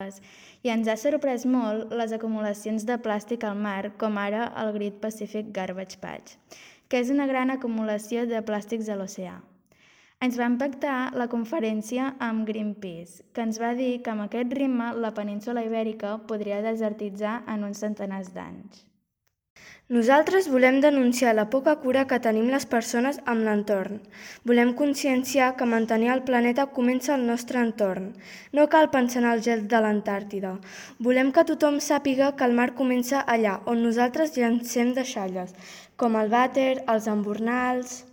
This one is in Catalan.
aigües i ens ha sorprès molt les acumulacions de plàstic al mar, com ara el Great Pacific Garbage Patch, que és una gran acumulació de plàstics a l'oceà. Ens va impactar la conferència amb Greenpeace, que ens va dir que amb aquest ritme la península Ibèrica podria desertitzar en uns centenars d'anys. Nosaltres volem denunciar la poca cura que tenim les persones amb l'entorn. Volem conscienciar que mantenir el planeta comença al nostre entorn. No cal pensar en el gel de l'Antàrtida. Volem que tothom sàpiga que el mar comença allà on nosaltres llancem deixalles, com el vàter, els embornals.